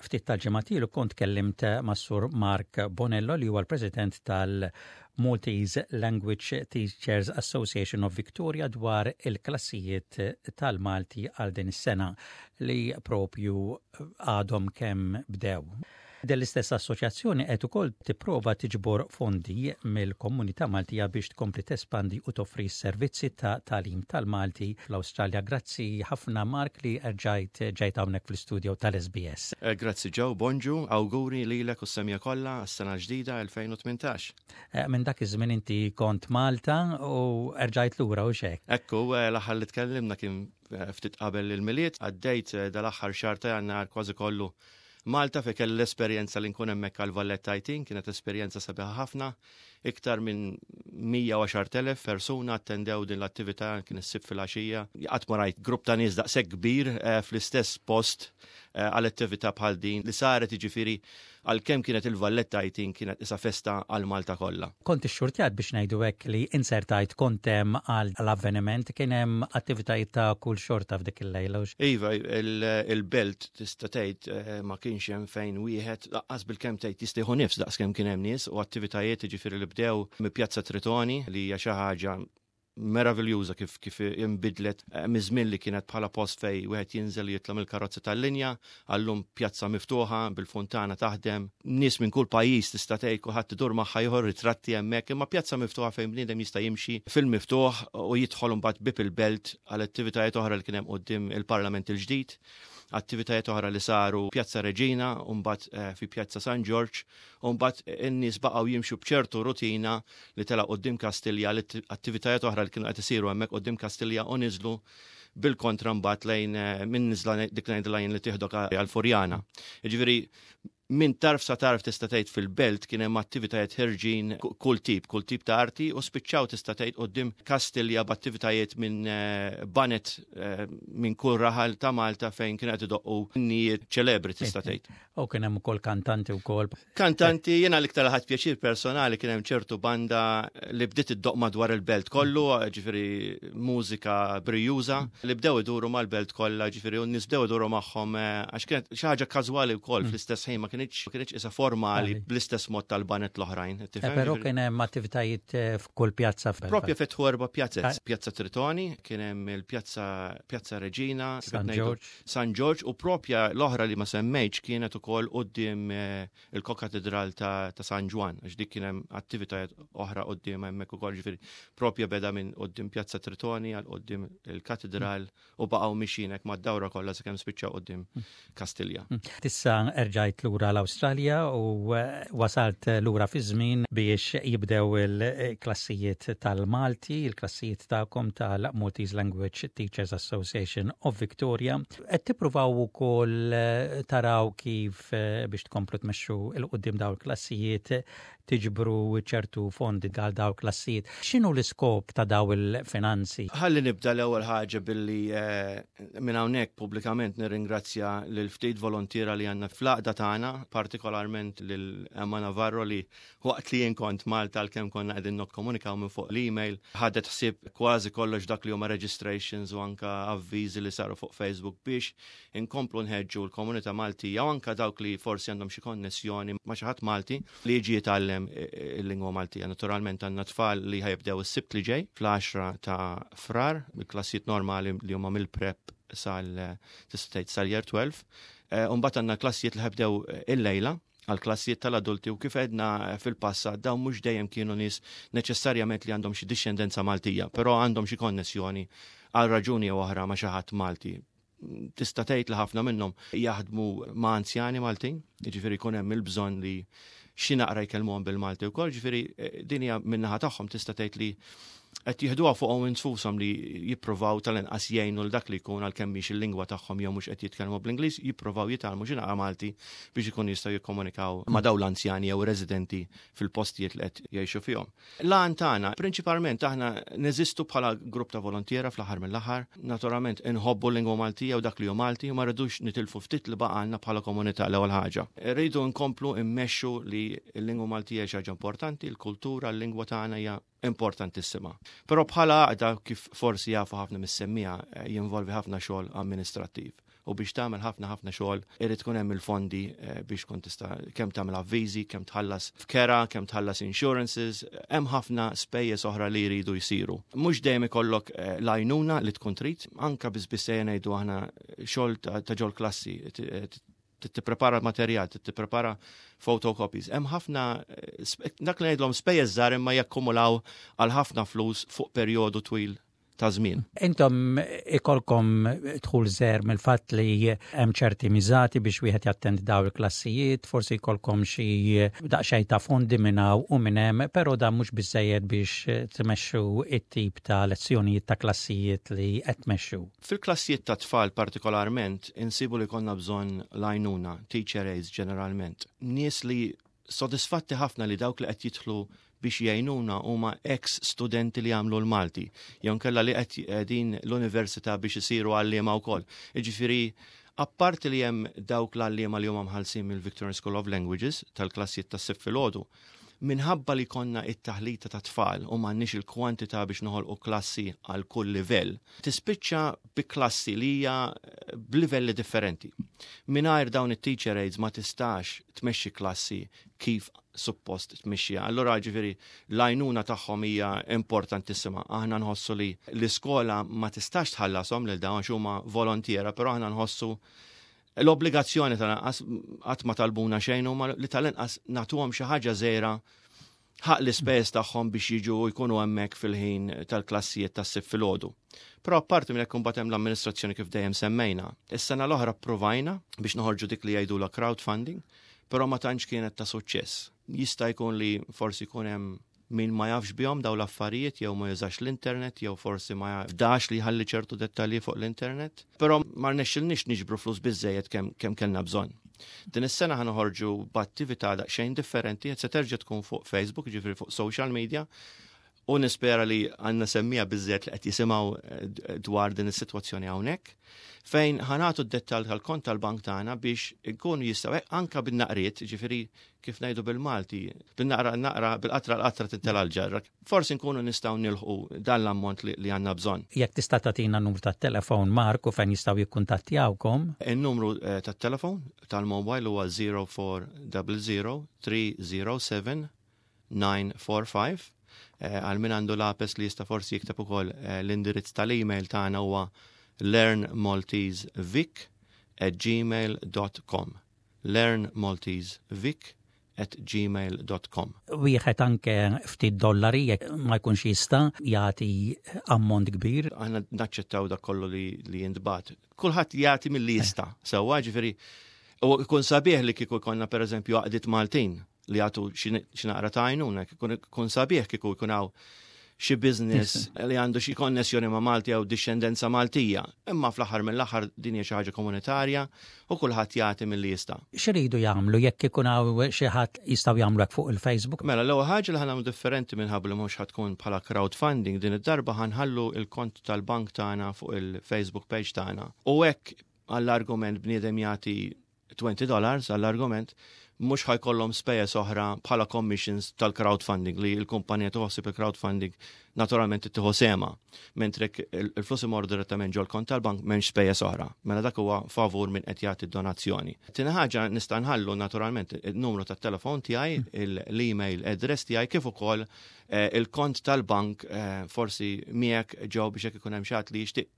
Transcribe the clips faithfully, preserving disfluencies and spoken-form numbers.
Ftit tal-ġimgħat ilu kont kellimt mas-Sur Mark Bonello, li huwa l-President tal-Maltese Language Teachers Association of Victoria, dwar il-klassijiet tal-Malti għal din is-sena li propju għadhom kemm bdew. Din l-istess assoċjazzjoni qed ukoll tipprova tiġbor fondi mill-komunità Maltija biex tkompli tespandi u toffri servizzi ta' tagħlim tal-Malti fl-Awstralja. Grazzi ħafna, Mark, li erġajt ġejt hawnhekk fl-istudio tal-S B S. Eh, grazzi Joe, bonġu, awguri lilek u s-semmiegħa kollha għas-sena ġdida elfejn u tmintax. Eh, minn dak iż-żmien inti kont Malta u erġajt lura u xek. Ekku, eh, l-aħħar li tkellimna kien ftit qabel il-Milied, għaddejt dal-aħħar xahar ta' Jannar kważi kollu Malta, fejn kelli l-esperjenza li nkun hemmhekk għal Valletta Eighteen. Kienet esperjenza sabiħa ħafna. Iktar minn mija u għaxart elef persuna attendew din l-attività, kien is-Sibt fil-għaxija. Qatt ma rajt grupp ta' nies daqshekk kbir eh, fl-istess post eh, għal attività bħal din li saret, jiġifieri għalkemm kienet il-Valletta Eighteen, kienet isa festa għal Malta kollha. Kont ixxurtjat, biex ngħidu hekk, li insertajt kont hemm għal l-avveniment. Kien hemm attivitajiet ta' kull xorta f'dik il-lejla. Iva, il-belt tista' tgħid eh, ma kienx hemm fejn wieħed laqqas bil-kemm tgħid jista' jieħu nifs daqskemm kien hemm nies u attivitajiet, jiġifieri li bdew mi Pjazza Tritoni, li hija xi ħaġa meraviljuża kif kif inbidlet eh, miż-żmien li kienet bħala post fejn wieħed jinżel, jitla' mill-karozza tal-linja, għallum pjazza miftuħa bil-funtana taħdem, nies minn kull pajjiż, tista' tgħid kulħadd idur magħha jieħu ritratti hemmhekk, imma pjazza miftuħa fejn bniedem jista' jimxi fil-miftuħ u jidħol mbagħad bib il-belt għal attivitajiet oħra li kien hemm quddiem il-Parlament il-ġdid, attivitajiet oħra li saru Pjazza Reġina, u mbagħad eh, fi Pjazza San Ġorġ, u mbagħad in-nies baqgħu jimxu b'ċertu rutina li tela' quddiem Kastilja, attivitajiet oħra li kienu qed isiru hemmhekk quddiem Kastilja, u niżlu bil-kontra mbagħad lejn eh, minn niżla dik lejn li tieħdok għal Furjana. Jiġifieri minn tarf sa tarf, tista' tgħid, fil-belt kien hemm attivitajiet ħerġin kull tip, kull tip ta' arti, u spiċċaw, tista' tgħid, quddiem Kastilja b'attivitajiet minn eh, baned eh, minn kull raħal ta' Malta fejn kien qed idoqqu innijiet ċelebri, tista' tgħid. U kien hemm ukoll kantanti wkoll. Kantanti, jiena l-iktar ħadt pjaċir personali kien hemm ċertu banda li bdiet iddoq madwar il-belt kollu, ġifieri mużika brijuża li bdew iduru mal-belt kollha, ġifieri u n-nies bdew iduru magħhom eh, għax kienet xi ħaġa każwali wkoll fl-istess ħin, ma kienx kienx isa formali bl-istess mod tal-baned l-oħrajn. Eh, però kien hemm attivitajiet eh, f'kull pjazza. Propja fetħu erba' pjazzez. Pjazza Tritoni, kien hemm il-Pjazza Pjazza Reġina, San George. San George, u propja l-oħra li ma semmejtx kienet ukoll quddiem eh, il-Kokatedral ta' San Ġwann, għax dik kien hemm attivitajiet oħra quddiem hemmhekk ukoll, ġifieri propja beda minn quddiem Pjazza Tritoni għal quddiem il-Katedral u baqgħu mixjin hekk mad-dawra kollha sakemm spiċċaw quddiem Kastilja. Issa erġajt lura l-Awstralja u eh, wasalt lura fi żmien biex jibdew il-klassijiet tal-Malti, il-klassijiet tagħkom tal-Maltese Language Teachers Association of Victoria. Qed tippruvaw ukoll eh, taraw kif eh, biex tkomplu tmexxu 'l quddiem daw il-klassijiet, tiġbru ċertu fondi għal daw klassijiet. X'inhu l-iskop ta' daw il-finanzi? Ħalli nibda l-ewwel ħaġa billi minn hawnhekk pubblikament nirringrazzja lil ftit volontiera li għandna fl-għaqda tagħna, partikolarment lil Emma Navarro, li waqt li jien kont Malta, għalkemm konna qegħdin nokkomunikaw minn fuq l-email, ħadet ħsieb kważi kollox dak li huma registrations u anka avviżi li saru fuq Facebook biex inkomplu nħeġġu l-komunità Maltija u anka dawk li forsi għandhom xi konnessjoni ma' xi ħadd Malti li jiġi jitgħallem il-lingwa Maltija. Naturalment għandna tfal li ħa jibdew is-Sibt li ġej fl-għaxra ta' Frar, il-klassijiet normali li huma mill-prep sal, tista' tgħid, sal-year tnax. Umbagħad għandna klassijiet li ħa jibdew il-lejla għal klassijiet tal-adulti, u kif għedna fil-passat, dawn mhux dejjem kienu nies neċessarjament li għandhom xi dixxendenza Maltija, però għandhom xi konnessjoni għal raġuni jew oħra ma' xi ħadd Malti. Tista' tgħid li ħafna minnhom jaħdmu ma' anzjani Maltin, jiġifieri jkun hemm il-bżonn li xi naqra jkellmuhom bil-Malti wkoll, ġifieri eh, din hija min-naħa tagħhom, tista' tgħid li qed jieħduha fuqhom infushom li jippruvaw tal-inqas jgħinu l dak li jkun, għalkemm mhix il-lingwa tagħhom jew mhux qed jitkellmu bl-Ingliż, jippruvaw jitgħallmu xi naqra Malti biex ikun jistgħu jikkomunikaw ma' dawn l-anzjani jew residenti fil-postijiet li qed jgħixu fihom. L-għan tagħna, prinċipalment aħna neżistu bħala grupp ta' volontiera fl-aħħar mill-aħħar, naturalment inħobbu l-lingwa Maltija u dak li hu Malti u ma rridux nitilfu ftit li baqgħalna bħala komunità l-ewwel ħaġa. Rridu nkomplu immexxu li l-lingwa Maltija xi ħaġa importanti, l-kultura, l-lingwa tagħna hija importantissima. Però bħala għaqda, kif forsi jafu ħafna mis-semmiegħa, eh, jinvolvi ħafna xogħol amministrattiv. U biex tagħmel ħafna ħafna xogħol irid tkun hemm il-fondi eh, biex tkun tista' kemm tagħmel avviżi, kemm tħallas f'kera, kemm tħallas insurances, hemm ħafna spejjeż oħra li jridu jsiru. Mhux dejjem ikollok eh, l-għajnuna li tkun trid, anka biss biss ngħidu aħna xogħol ta' ġol klassi, tipprepara materjal, tipprepara photocopies. Hemm ħafna, dak li ngħidlhom spejjeż żgħar, imma jakkumulaw għal ħafna flus fuq perjodu twil ta' żmien. Intom ikolkom dħul żgħir mill-fatt li hemm ċerti miżati biex wieħed jattendi daw il-klassijiet, forsi jkollkom xi daqsxejn ta' fondi minn hawn u minn hemm, però dan mhux biżejjed biex tmexxu it-tip ta' lezzjonijiet ta' klassijiet li qed tmexxu. Fil-klassijiet ta' tfal partikolarment insibu li konna bżonn l-għajnuna, teacher aides ġeneralment. Nies li sodisfatti ħafna li dawk li qed jidħlu biex jgħinuna huma ex studenti li għamlu l-Malti, jew kella li qed l-università biex isiru għalliema wkoll. Jiġifieri, apparti li hemm dawk l-għalliema li huma mħallsin mill-Victorian School of Languages tal-klassijiet tas-Sibt filgħodu, minħabba li konna it-taħlita ta' tfal u m'għandniex il-kwantità biex noħolqu klassi għal kull livell, tispiċċa bi klassi li hija b'livelli differenti. Mingħajr dawn it-teacher aides ma tistax tmexxi klassi kif suppost tmexxija. Allora, ġifieri, l-għajnuna tagħhom hija importantissima. Aħna nħossu li l-iskola ma tistax tħallasom lil dawn huma volontiera, però aħna nħossu l-obbligazzjoni tal-inqas, qatt ma talbuna xejn huma, li tal-inqas nagħtuhom xi ħaġa żgħira ħaq l-ispejjeż tagħhom biex jiġu jkunu hemmhekk fil-ħin tal-klassijiet tas-Sibt filgħodu. Però apparti minn hekk, imbagħad hemm l-amministrazzjoni, kif dejjem semmejna. Is-sena l-oħra provajna biex noħorġu dik li jgħidu la crowdfunding, però ma tantx kienet ta' suċċess. Jista' jkun li forsi jkun hemm min ma jafx bihom daw l-affarijiet, jew ma jużax l-internet, jew forsi ma jafdax li jħalli ċertu dettalji fuq l-internet. Però ma rnexxilniex niġbru flus biżejjed kemm kem kellna bżonn. Din is-sena ħa noħorġu b'attività daqsxejn differenti, qed se terġa' tkun fuq Facebook, ġifieri fuq social media, u nispera li għandna semmiegħa biżżejjed li qed jisimgħu eh, dwar din is-sitwazzjoni hawnhekk, fejn ħa nagħtu d-dettall tal-kont tal-bank tagħna biex ikunu jistgħu anka bin-naqriet, ġifieri kif ngħidu bil-Malti, bin-naqra naqra, bil-qatra l-qatra tintela l-ġarra. Forsi nkunu nistgħu nilħqu dan l-ammont li, li għandna bżonn. Jekk tista' tagħtina numru tat-telefon, Marku, fejn jistgħu jikkuntattjawkom. Il-numru eh, tat-telefon tal-mobile huwa zero four zero zero three zero seven nine four five. Eh, għal min għandu lapes li jista' forsi jikteb ukoll, eh, l-indirizz tal-email tagħna huwa learnmaltesevic at gmail dot com, learnmaltesevic at gmail dot com. Wieħed anke ftit dollari jekk ma jkunx jista' jagħti ammont kbir. Aħna naċċettaw dak kollu li, li jintbagħat. Kulħadd jagħti milli jista'. Sewwa, ġifieri, u jkun sabiħ li kieku jkollna, pereżempju, għaqdiet Maltin li jagħtu xi naqra ta' għajnuna, jkun sabiħ kieku jkun hawn xi business li għandu xi konnessjoni ma' Malti jew dixxendenza Maltija. Imma fl-aħħar mill-aħħar din hija xi ħaġa komunitarja u kulħadd jagħti milli jista'. X'iridu jagħmlu jekk ikun hawn xi ħadd, jistgħu jagħmlu hekk fuq il-Facebook? Mela, l-ewwel ħaġa li ħa nagħmlu differenti, minħabba li mhux ħa tkun bħala crowdfunding din id-darba, ħa nħallu il-kont tal-bank tagħna fuq il-Facebook page tagħna. U hekk, għall-argument, bniedem jagħti twenty dollars, għall-argument, mhux ħa jkollhom spejjeż oħra bħala commissions tal-crowdfunding, li l-kumpanija tħossib il-crowdfunding naturalment tieħu sehemha. Mentre il-flus imorru direttament ġol kont tal-bank, m'hemmx spejjeż oħra. Mela dak huwa favur min qed jagħti donazzjoni. Tieni ħaġa, nista' nħallu naturalment il-numru tat-telefon tiegħi, l-email address tiegħi, kif ukoll eh, il-kont tal-bank eh, forsi miegħek ġew biex jekk ikun hemm xi li jixtieq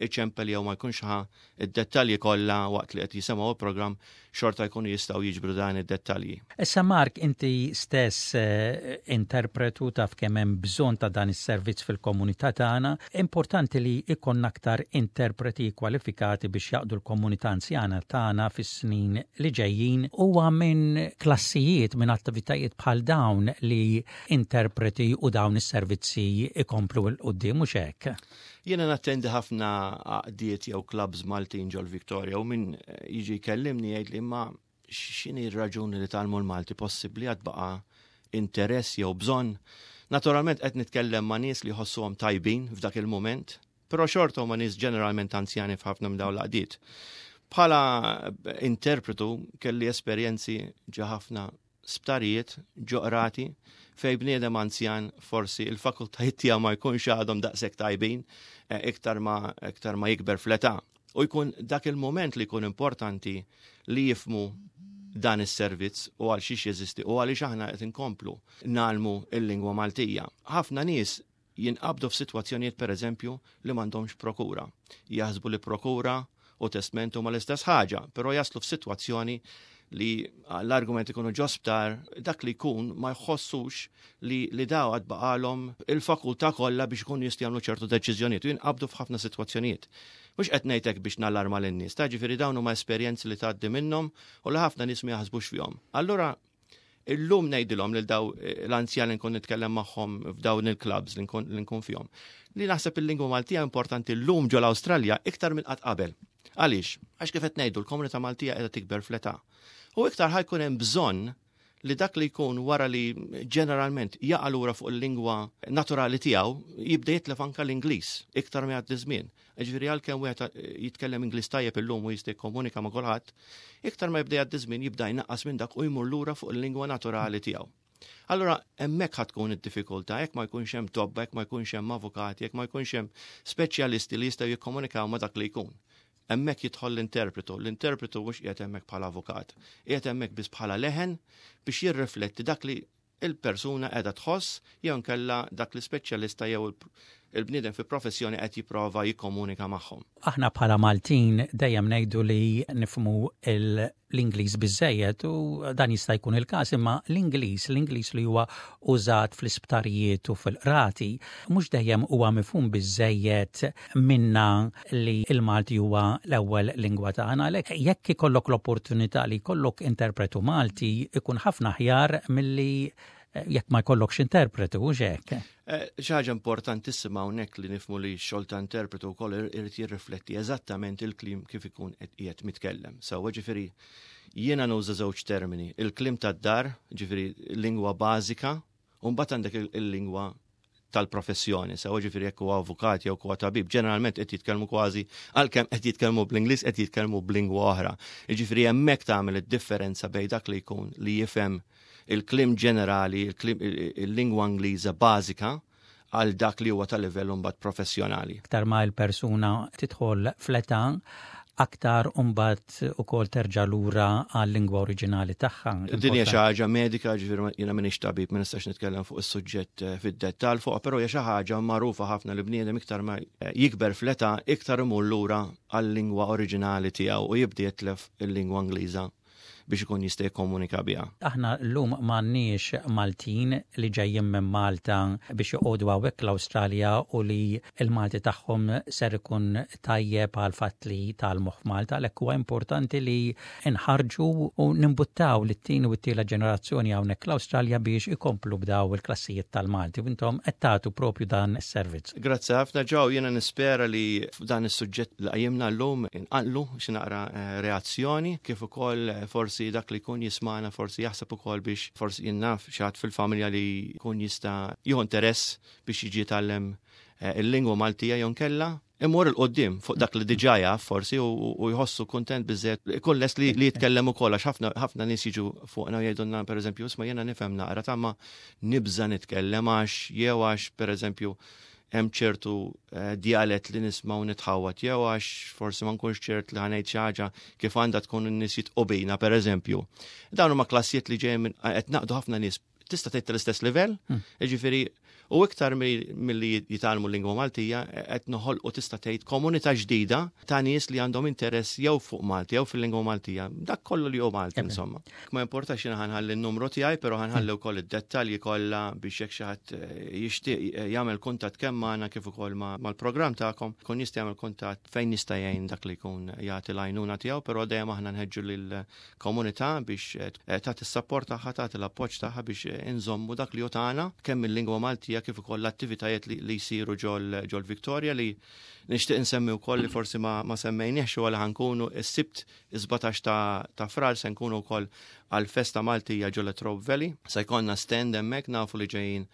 iċempel jew ma jkunx ħa id-dettalji kollha waqt li qed jisimgħu il-programm, xorta jkunu jistgħu jiġbru dan id-dettalji. Issa Mark, inti stess eh, interpretu, taf kemm hemm bżonn ta' dan is-servizz fil-komunità tagħna. Importanti li ikun aktar interpreti kwalifikati biex jaqdu l-komunità anzjana tagħna fis-snin li ġejjin. Huwa minn klassijiet, minn attivitajiet bħal dawn li interpreti u dawn is-servizzi ikomplu 'l quddiem, mhux hekk? Jiena nattendi ħafna għaqdiet jew clubs Maltin ġol Victoria u min jiġi jkellimni jgħid li ma x'inhi r-raġuni li tgħallmu l-Malti, possibbli għad baqa' interess jew bżonn? Naturalment qed nitkellem ma' nies li jħossuhom tajbin f'dak il-moment, però xorta huma nies ġeneralment anzjani f'ħafna minn dawn l-għaqdiet. Bħala interpretu kelli esperjenzi ġo ħafna sptarijiet, ġo qrati, fej bniedem anzjan forsi il-fakultajiet tiegħu ma jkunx għadhom daqshekk tajbin eh, iktar ma iktar ma jikber fl-età. U jkun dak il-moment li jkun importanti li jifhmu dan is-servizz u għal xiex jeżisti u għaliex aħna qed inkomplu ngħallmu il-lingwa Maltija. Ħafna nies jinqabdu f'sitwazzjonijiet, pereżempju, li m'għandhomx prokura. Jaħsbu li prokura u testment huma l-istess ħaġa, però jaslu f'sitwazzjoni li l-argument ikunu ġo sptar, dak li jkun ma jħossux li, li daw għad baqalhom il-fakultà kollha biex ikunu jistgħu jagħmlu ċertu deċiżjonijiet u jinqabdu f'ħafna sitwazzjonijiet. Mhux qed ngħidlek biex nallarma lin-nies, ta' ġifieri dawn huma esperjenzi li tgħaddi minnhom u li ħafna nies ma jaħsbux fihom. Allura illum ngħidilhom lil daw l-anzjan li nkun nitkellem magħhom f'dawn il-clubs li nkun li nkun fihom, li naħseb il-lingwa Maltija importanti llum ġol Awstralja iktar minn qatt qabel. Għaliex? Għax kif qed ngħidu, l-komunità Maltija qiegħda tikber fl-età. U iktar ħa jkun hemm bżonn li dak li jkun wara li ġeneralment jaqa' lura fuq il-lingwa naturali tiegħu jibda jitlef anka l-Ingliż iktar ma jgħaddi żmien. Ġifieri għalkemm wieħed jitkellem Ingliż tajjeb illum u jista' jikkomunika ma' kulħadd, iktar ma jibda jgħaddi żmien jibda jnaqqas minn dak u jmur lura fuq il-lingwa naturali tiegħu. Allora, hemmhekk ħa tkun id-diffikultà, jekk ma jkunx hemm tobba, jekk ma jkunx hemm avukati, jekk ma jkunx hemm speċjalisti li jistgħu jikkomunikaw ma' dak li jkun. Hemmhekk jidħol l-interpretu. L-interpretu mhux qiegħed hemmhekk bħala avukat, qiegħed hemmhekk biss bħala leħen biex jirrifletti dak li il-persuna qiegħda tħoss jew nkella dak li speċjalista jew il-bniedem fi professjoni qed jipprova jikkomunika magħhom. Aħna bħala Maltin dejjem ngħidu li nifhmu l-Ingliż biżejjed u dan jista' jkun il-każ, imma l-Ingliż, l-Ingliż li huwa użat fl-isptarijiet u fil-qrati, mhux dejjem huwa mifhum biżejjed minna li il-Malti huwa l-ewwel lingwa tagħna. Għalhekk jekk ikollok l-opportunità li jkollok interpretu Malti, ikun ħafna aħjar milli jekk ma jkollokx interpretu, u hekk. Eh, xi ħaġa importantissima hawnhekk li nifhmu li x-xogħol ta' interpretu wkoll irid jirrifletti eżattament il-kliem kif ikun qed mitkellem. Sewwa, ġifieri jiena nuża żewġ termini, il-kliem tad-dar, ġifieri lingwa bażika, u mbagħad għandek il-lingwa tal-professjoni, sew ġifieri jekk huwa avukat jew huwa tabib, ġeneralment qed jitkellmu kważi, għalkemm qed jitkellmu bl-Ingliż, qed jitkellmu b'lingwa oħra. Ġifieri hemmhekk tagħmel id-differenza bejn dak li jkun li jifhem il-kliem ġenerali, il-lingwa Ingliża bażika, għal dak li huwa ta' livell mbagħad professjonali. Aktar ma l-persuna tidħol fl-età, aktar mbagħad ukoll terġa' lura għal-lingwa oriġinali tagħha. Din hija xi ħaġa medika, ġifieri jiena m'iniex tabib, ma nistax nitkellem fuq is-suġġett eh, fid-dettall fuq, però hija xi ħaġa magħrufa ħafna li bniedem iktar ma jikber fl-età iktar imur lura għal-lingwa oriġinali tiegħu u jibda jitlef il-lingwa Ingliża biex ikun jista' jikkomunika biha. Aħna llum m'għandniex Maltin li ġejjin minn Malta biex joqogħdu hawnhekk l-Awstralja u li l-Malti tagħhom ser ikun tajjeb għal fatt li tgħallmu f'Malta, għalhekk huwa importanti li nħarġu u nimbuttaw lit-tieni u t-tielet ġenerazzjoni hawnhekk l-Awstralja biex ikomplu b'daw il-klassijiet tal-Malti u intom qed tagħtu propju dan is-servizz. Grazzi ħafna, Joe, jiena nispera li f'dan is-suġġett li qajjimna llum inqanqlu xi naqra eh, reazzjoni, kif ukoll eh, forsi dak li jkun jismana forsi jaħseb ukoll biex forsi jien naf xi ħadd fil-familja li jkun jista' jieħu interess biex jiġi jitgħallem eh, il-lingwa Maltija jew nkella imur 'il quddiem fuq dak li diġà jaf forsi u jħossu kontent biżejjed ikun lest li jitkellem ukoll, għax ħafna ħafna nies jiġu fuqna u jgħidulna, pereżempju, "Isma', jiena nifhem naqra ta' ma nibża nitkellem għax jew għax pereżempju hemm ċertu eh, dialett li nisma' u nitħawat, jew għax forsi ma nkunx ċert li ħa ngħid xi ħaġa kif għandha tkun, n-nies jidħqu bina, pereżempju." Dawn huma klassijiet li ġejjin minn qed naqdu ħafna nies, tista' tgħid, tal-istess livell, hmm. jiġifieri u iktar milli jitgħallmu lingwa Maltija qed noħolqu, tista' tgħid, komunità ġdida ta' nies li għandhom interess jew fuq Malti jew fil-lingwa Maltija. Dak kollu li hu Malti, insomma. Ma importax, jiena ħa nħalli n-numru tiegħi, però ħa nħalli wkoll id-dettalji kollha biex jekk xi ħadd eh, jixtieq eh, jagħmel kuntatt kemm magħna kif ukoll mal-programm tagħkom, kun jista' jagħmel kuntatt fejn jista' jgħin dak li jkun jagħti l-għajnuna tiegħu, però dejjem aħna nħeġġu lill-komunità biex eh, tagħti s-sapport tagħha, tagħti l-appoġġ tagħha biex inżommu dak li hu tagħna, kemm il-lingwa Maltija kif ukoll l-attivitajiet li, li jsiru ġol ġol Victoria, li nixtieq insemmi wkoll li forsi ma, ma semmejniex u għal ħa nkunu s-Sibt sbatax ta', ta' Frar se nkunu wkoll għal festa Maltija ġol Latrobe Valley. Se jkollna stand hemmhekk, nafu li ġejjin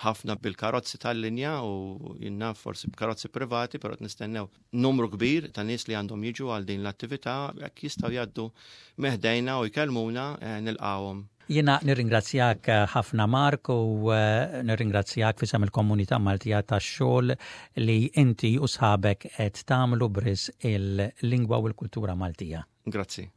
ħafna bil-karozzi tal-linja u jien naf forsi b'karozzi privati, però nistennew numru kbir ta' nies li għandhom jiġu għal din l-attività. Jekk jistgħu jgħaddu minn ħdejna u jkellmuna, eh, nilqawhom. Jiena nirringrazzjak ħafna, Mark, u eh, nirringrazzjak f'isem il-komunità Maltija tax-xogħol li inti u sħabek qed tagħmlu b'risq il-lingwa u l-kultura Maltija. Grazzi.